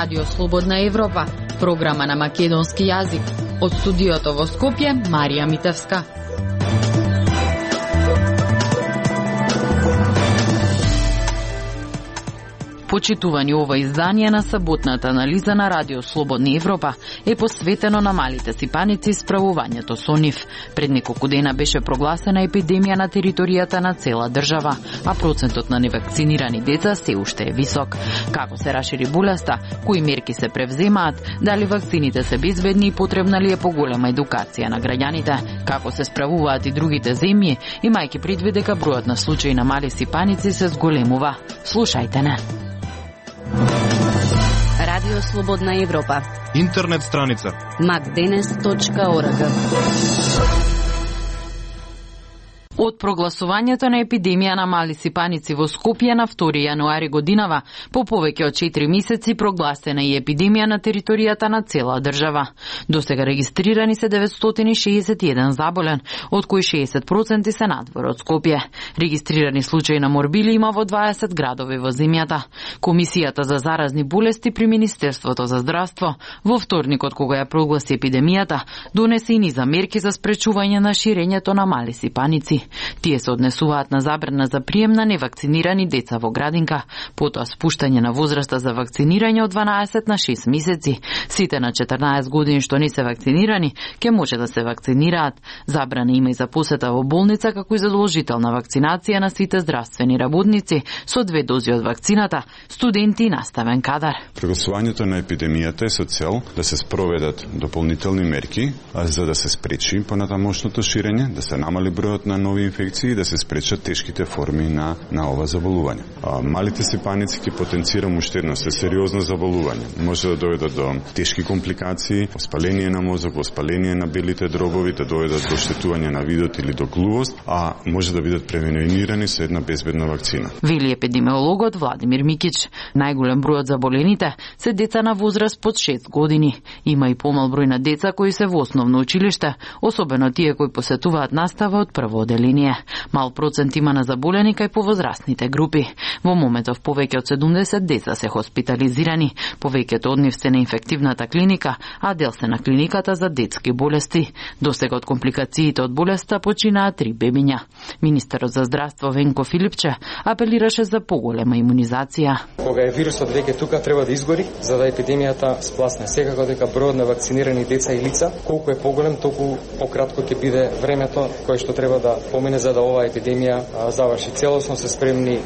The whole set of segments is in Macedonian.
Радио Слободна Европа, програма на македонски јазик. Од студиото во Скопје, Марија Митевска. Почитувани, ова издание на саботната анализа на Радио Слободна Европа е посветено на малите сипаници и справувањето со нив. Пред неколку дена беше прогласена епидемија на територијата на цела држава, а процентот на невакцинирани деца се уште е висок. Како се рашири болеста, кои мерки се превземаат, дали вакцините се безбедни и потребна ли е поголема едукација на граѓаните, како се справуваат и другите земји, имајќи предвид дека бројот на случаи на мали сипаници се зголемува. Слушајте не. Радио Слободна Европа. Интернет страница macdenes.org. Од прогласувањето на епидемија на мали сипаници во Скопје на 2 јануари годинава, по повеќе од 4 месеци прогласена и епидемија на територијата на цела држава. Досега регистрирани се 961 заболен, од кои 60% се надвор од Скопје. Регистрирани случаи на морбили има во 20 градови во земјата. Комисијата за заразни болести при Министерството за здравство во вторникот, кога ја прогласи епидемијата, донесе и низа мерки за спречување на ширењето на мали сипаници. Тие се однесуваат на забрана за прием на невакцинирани деца во градинка, потоа спуштање на возраста за вакцинирање од 12 на 6 месеци. Сите на 14 години што не се вакцинирани ќе може да се вакцинираат. Забрана има и за посета во болница, како и задолжителна вакцинација на сите здравствени работници со 2 дози од вакцината, студенти и наставен кадар. Прогласувањето на епидемијата е со цел да се спроведат дополнителни мерки за да се спречи понатамошното ширење, да се намали бројот на нови инфекции и да се спречат тешките форми на ова заболување. Малите сипаници ќе потенцира уште едно сериозно заболување. Може да доведат до тешки компликации, воспаление на мозок, воспаление на белите дробови, да доведат до оштетување на видот или до глувост, а може да бидат превенирани со една безбедна вакцина. Вели епидемиологот Владимир Микич. Најголем број од заболените се деца на возраст под 6 години. Има и помал број на деца кои се во основно училиште, особено тие кои посетуваат настава од прво оделение. Мал процент има на заболени кај повозрастните групи. Во моментов повеќе од 70 деца се хоспитализирани, повеќето од нив се на инфективната клиника, а дел се на клиниката за детски болести. Досега од компликациите од болеста починаа 3 бебиња. Министерот за здравство Венко Филипче апелираше за поголема имунизација. Кога е вирусот веќе тука, треба да изгори за да епидемијата спласне. Секако дека бројот на вакцинирани деца и лица колку е поголем, толку пократко ќе биде времето кое што треба да помине за да оваа епидемија заврши. Целосно се спремни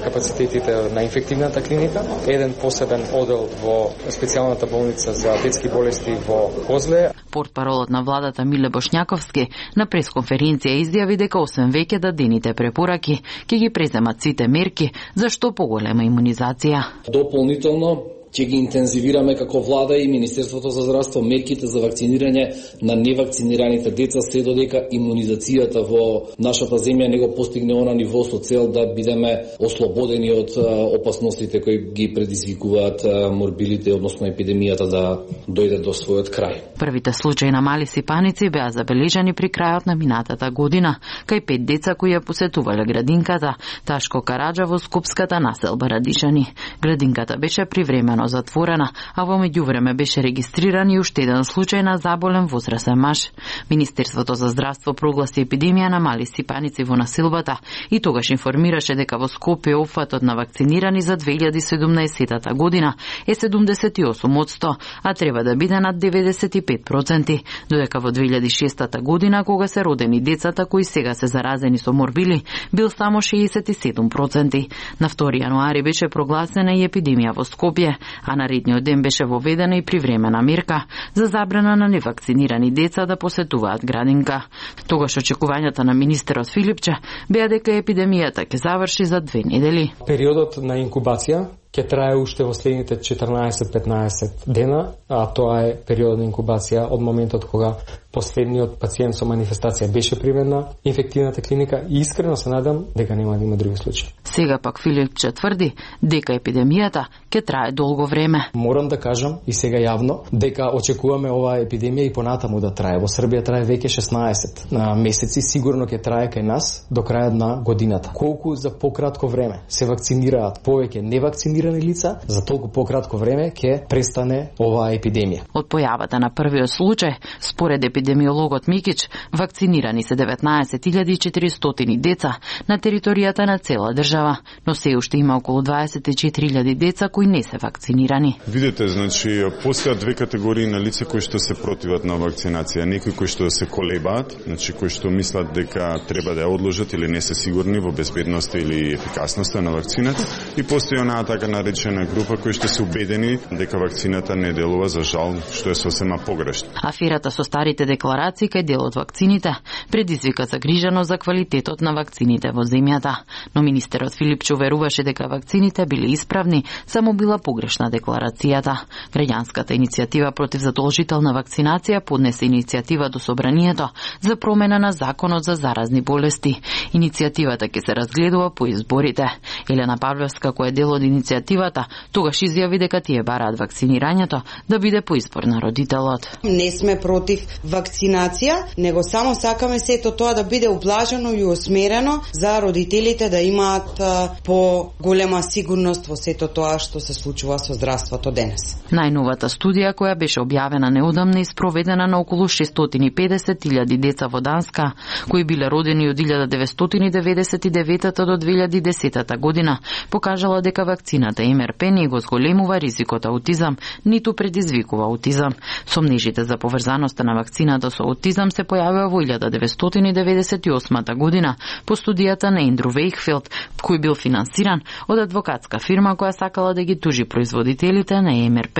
капацитетите на инфективната клиника, еден посебен одел во специјалната болница за детски болести во Козле. Портпаролот на владата Миле Бошњаковски на пресконференција изјави дека освен веќе дадените препораки, ќе ги преземат сите мерки за што поголема имунизација. Дополнително ќе ги интензивираме како влада и Министерството за здравство мерките за вакцинирање на невакцинираните деца се додека имунизацијата во нашата земја не го постигне она ниво со цел да бидеме ослободени од опасностите кои ги предизвикуваат морбилите, односно епидемијата да дојде до својот крај. Првите случаи на мали сипаници беа забележани при крајот на минатата година, кај 5 деца кои ја посетувале градинката Ташко Караџа во скопската населба Радишани. Градинката беше привремено затворена, а во меѓувреме беше регистриран и уште еден случај на заболен возрастен маж. Министерството за здравство прогласи епидемија на мали сипаници во населбата и тогаш информираше дека во Скопје опфатот на вакцинирани за 2017 година е 78%, а треба да биде над 95%, додека во 2006 година, кога се родени децата кои сега се заразени со морбили, бил само 67%. На 2 јануари беше прогласена и епидемија во Скопје, а наредниот ден беше воведена и привремена мерка за забрана на невакцинирани деца да посетуваат градинка. Тогаш очекувањата на министерот Филипче беа дека епидемијата ќе заврши за 2 недели. Периодот на инкубација ќе трае уште во следните 14-15 дена, а тоа е периодот на инкубација од моментот кога последниот пациент со манифестација беше примен на инфективната клиника и искрено се надам дека нема да има други случаи. Сега пак Филипче тврди дека епидемијата ќе трае долго време. Морам да кажам и сега јавно дека очекуваме оваа епидемија и понатаму да трае. Во Србија трае веќе 16 месеци, сигурно ќе трае кај нас до крајот на годината. Колку за пократко време се вакцинираат повеќе невакцинирани лица, за толку пократко време ќе престане оваа епидемија. Од појавата на првиот случај, според епидемиологот Микич, вакцинирани се 19.400 деца на територијата на цела држава, но се уште има околу 24.000 деца кои не се вакцинирани. Видете, значи, постојат две категории на лица кои што се противат на вакцинација. Некои кои што се колебаат, значи кои што мислат дека треба да ја одложат или не се сигурни во безбедноста или ефикасноста на вакцината, и постои онаа така наречена група кои што се убедени дека вакцината не делува, за жал, што е сосема погрешно. Аферата со старите декларации кај дел од вакцините предизвика загриженост за квалитетот на вакцините во земјата, но министерот Филипче уверуваше дека вакцините биле исправни, само била погрешна декларацијата. Граѓанската иницијатива против задолжителна вакцинација поднесе иницијатива до Собранието за промена на законот за заразни болести. Иницијативата ќе се разгледува по изборите. Елена Павлевска, која е дел од иницијативата, тогаш изјави дека тие бараат вакцинирањето да биде по избор на родителот. Не сме против вакцинација, него само сакаме сето тоа да биде ублажено и усмерено за родителите да имаат по-голема сигурност во сето тоа што се случува со здравството денес. Најновата студија, која беше објавена неодамна и спроведена на околу 650.000 деца во Данска, кои биле родени од 1999 до 2010 година, покажала дека вакцината МРП не го зголемува ризикот аутизам, ниту предизвикува аутизам. Сомнежите за поврзаноста на вакцината со аутизам се појавија во 1998 година по студијата на Ендрю Вејхфилд, кој бил финансиран од адвокатска фирма која сакала да ги тужи производителите на МРП.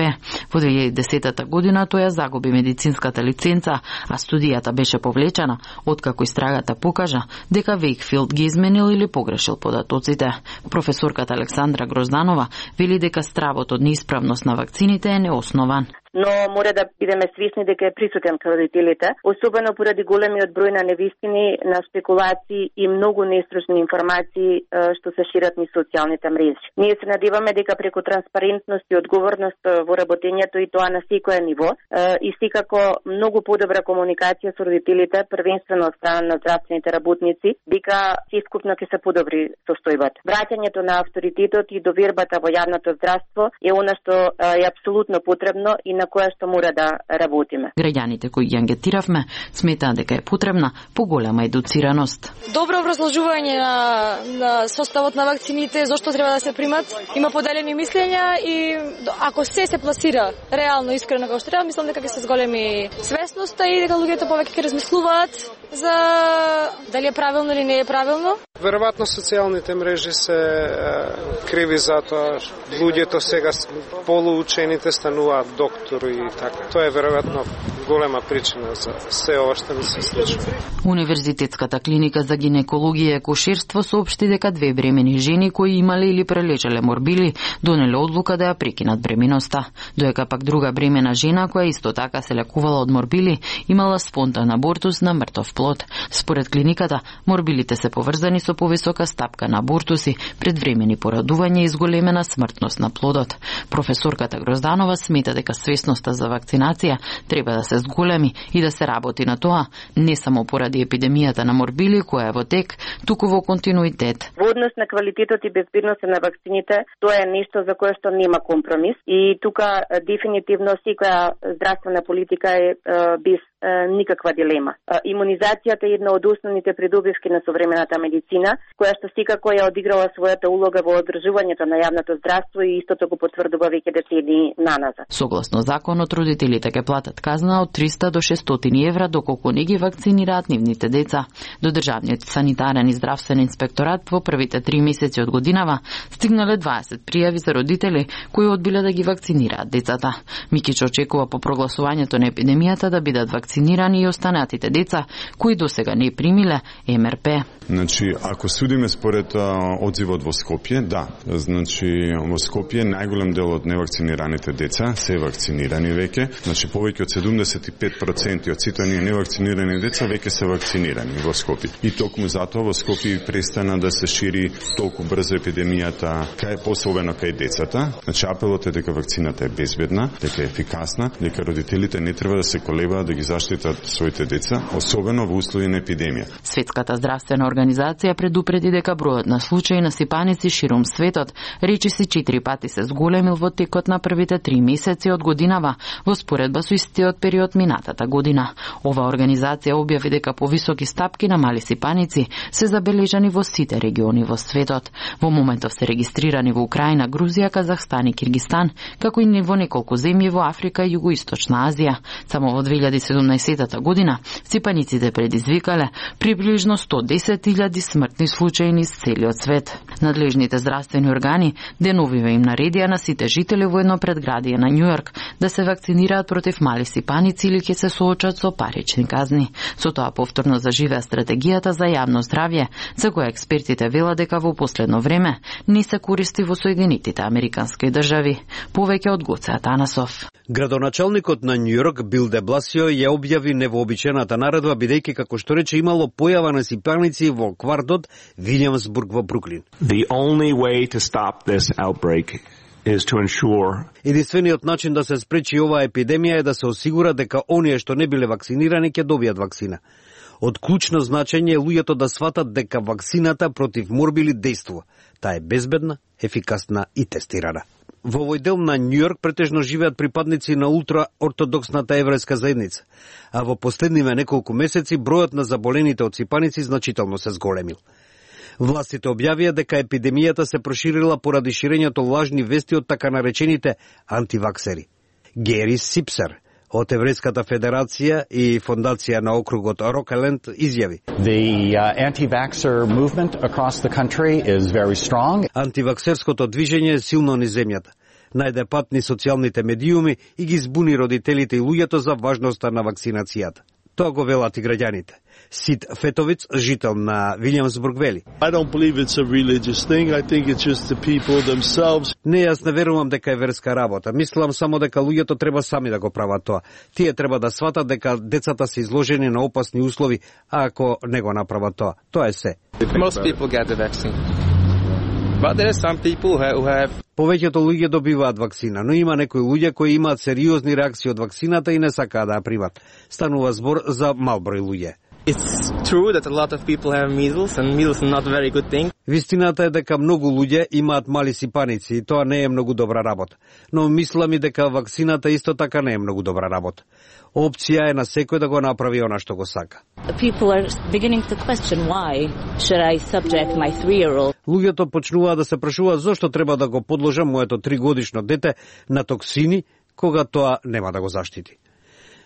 Во 2010 година тој ја загуби медицинската лиценца, а студијата беше повлечена откако истрагата покажа дека Вејхфилд ги изменил или погрешил податоците. Професорката Александра Грозданова вели дека стравот од неисправност на вакцините е неоснован. Но мора да бидеме свесни дека е присутен кај родителите, особено поради големиот број на невистини, на спекулации и многу нестручни информации што се шират низ социјалните мрежи. Ние се надеваме дека преку транспарентност и одговорност во работењето и тоа на секое ниво и секако многу подобра комуникација со родителите, првенствено од страна на здравствените работници, дека сескупно ќе се подобри состојбата. Враќањето на авторитетот и довербата во јавното здравство е она што е апсолутно потребно и на која што мора да работиме. Граѓаните кои ги ангетиравме сметаат дека е потребна поголема едуцираност. Добро образложување на составот на вакцините, зошто треба да се примат, има поделени мислења и ако се пласира реално, искрено како што треба, мислам дека ќе се зголеми свесноста и дека луѓето повеќе ќе размислуваат за дали е правилно или не е правилно. Веројатно социјалните мрежи се криви за тоа. Луѓето сега полуучените стануваат доктори и така. Тоа е веројатно голема причина за се ова што ни се случува. Универзитетската клиника за гинекологија и акушерство соопшти дека две бремени жени кои имале или прележале морбили донеле одлука да ја прекинат бременоста, доека пак друга бремена жена која исто така се лекувала од морбили имала спонтан абортус на мртов плод. Според клиниката, морбилите се поврзани со повисока стапка на абортуси, предвремени порадување и зголемена смртност на плодот. Професорката Грозданова смета дека свесноста за вакцинација треба да се зголеми и да се работи на тоа, не само поради епидемијата на морбили која е во тек, туку во континуитет. Во однос на квалитетот и безбедноста на вакцините, тоа е нешто за кое што нема компромис и тука дефинитивно секоја здравствена политика е без никаква дилема. Имунизацијата е една од основните придобивки на современата медицина, која што секако ја одиграла својата улога во одржувањето на јавното здравство и истото го потврдува веќе децени наназад. Согласно законот, родителите ќе платат казна од 300 до 600 евра доколку не ги вакцинираат нивните деца. До Државниот санитарен и здравствен инспекторат во првите 3 месеци од годинава стигнале 20 пријави за родители кои одбиле да ги вакцинираат децата. Микич очекува по прогласувањето на епидемијата да бидат вакцинирани невакцинирани и останатите деца кои досега не примиле МРП. Значи, ако судиме според одзивот во Скопје, да. Значи, во Скопје најголем дел од невакцинираните деца се вакцинирани веќе. Значи, повеќе од 75% од сите оние невакцинирани деца веќе се вакцинирани во Скопје. И токму затоа во Скопје престана да се шири толку брзо епидемијата, особено кај децата. Значи, апелот е дека вакцината е безбедна, дека е ефикасна, дека родителите не треба да се колебаат да ги заштитат своите деца, особено во услови на епидемија. Светската здравствена организација предупреди дека бројот на случаи на сипаници ширум светот речиси 4 пати се зголемил во текот на првите 3 месеци од годинава во споредба со истиот период минатата година. Ова организација објави дека повисоки стапки на мали сипаници се забележани во сите региони во светот. Во моментов се регистрирани во Украина, Грузија, Казахстан и Киргистан, како и во неколку земји во Африка и Југоисточна Азија. Само во 2017 година сипаниците предизвикале приближно 110.000 смртни случаи низ целиот свет. Надлежните здравствени органи деновиве им наредија на сите жители во едно предградие на Њујорк да се вакцинираат против мали сипаници или ќе се соочат со парични казни. Со тоа повторно заживеа стратегијата за јавно здравје, за која експертите велат дека во последно време не се користи во Соединетите Американски држави. Повеќе од Гоце Атанасов. Градоначалникот на Њујорк Бил де Бласио ја објави невообичаената наредба бидејќи како што рече имало појава на сипаници во квартот Вилјамсбург во Бруклин. The only way to stop this outbreak is to ensure единствениот начин да се спречи оваа епидемија е да се осигура дека оние што не биле вакцинирани ќе добијат вакцина. Од клучно значење е луѓето да сватат дека вакцината против морбили действува. Таа е безбедна, ефикасна и тестирана. Во овој дел на Њујорк претежно живеат припадници на ултраортодоксната еврејска заедница, а во последниве неколку месеци бројот на заболените од сипаници значително се зголемил. Властите објавија дека епидемијата се проширила поради ширењето лажни вести од така наречените антиваксери. Гери Сипсер од Еврејската федерација и фондација на округот Рокеленд изјави: The anti-vaxxer movement across the country is very strong. Антиваксерското движење е силно низ земјата. Најде пат низ социјалните медиуми и ги збуни родителите и луѓето за важноста на вакцинацијата. Тоа го велат и граѓаните. Сид Фетовиц, жител на Вилјамсбург, вели: I don't believe it's a religious thing. I think it's just the people themselves. Не, јас не верувам дека е верска работа. Мислам само дека луѓето треба сами да го прават тоа. Тие треба да сватат дека децата се изложени на опасни услови, а ако не го направат тоа, тоа е се. Most people get the vaccine. But there are some people who have Повеќето луѓе добиваат вакцина, но има некои луѓе кои имаат сериозни реакции од вакцината и не сакаат да ја примат. Станува збор за мал број луѓе. It's true that a lot of people have measles and measles is not a very good thing. Вистината е дека многу луѓе имаат мали сипаници и тоа не е многу добра работа. Но мислам и дека вакцината исто така не е многу добра работа. Опција е на секој да го направи она што го сака. People are beginning to question why should I subject my 3-year-old. Луѓето почнуваат да се прашуваат зошто треба да го подложам моето 3-годишно дете на токсини кога тоа нема да го заштити.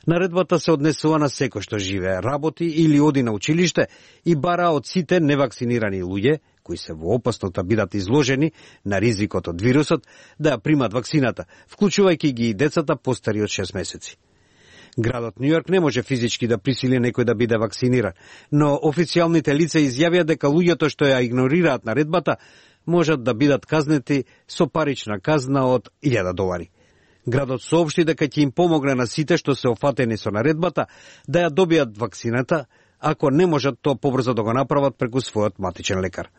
Наредбата се однесува на секој што живее, работи или оди на училиште и бара од сите невакцинирани луѓе, кои се во опасност да бидат изложени на ризикот од вирусот, да ја примат вакцината, вклучувајќи ги и децата постари од 6 месеци. Градот Њујорк не може физички да присили некој да биде вакциниран, но официјалните лица изјавија дека луѓето што ја игнорираат наредбата можат да бидат казнети со парична казна од $1000. Градот соопшти дека ќе им помогне на сите што се офатени со наредбата да ја добијат вакцината, ако не можат тоа побрзо да го направат преку својот матичен лекар.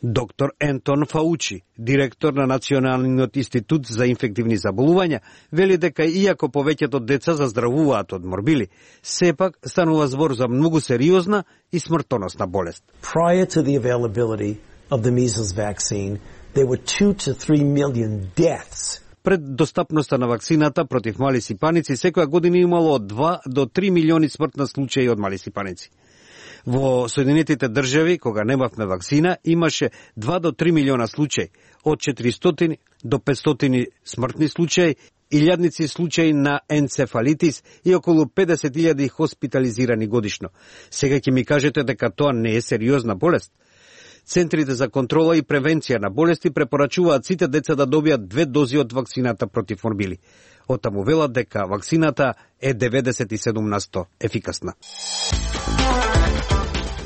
Доктор Ентон Фаучи, директор на Националниот институт за инфективни заболувања, вели дека иако повеќето деца заздравуваат од морбили, сепак станува збор за многу сериозна и смртоносна болест. Prior to the availability of the measles vaccine, there were 2 to 3 million deaths. Пред достапноста на вакцината против мали сипаници, секоја година имало од 2 до 3 милиони смртни случаи од мали сипаници. Во Соединетите држави, кога немавме вакцина, имаше 2 до 3 милиона случаи, од 400 до 500 смртни случаи, илјадници случаи на енцефалитис и околу 50.000 хоспитализирани годишно. Сега ќе ми кажете дека тоа не е сериозна болест. Центрите за контрола и превенција на болести препорачуваат сите деца да добијат 2 дози од вакцината против морбили. Оттаму велат дека вакцината е 97% ефикасна.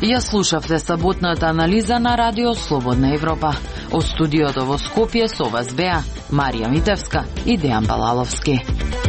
Ја слушавте саботната анализа на Радио Слободна Европа. Од студиото во Скопје со вас беа Марија Митевска и Дејан Балаловски.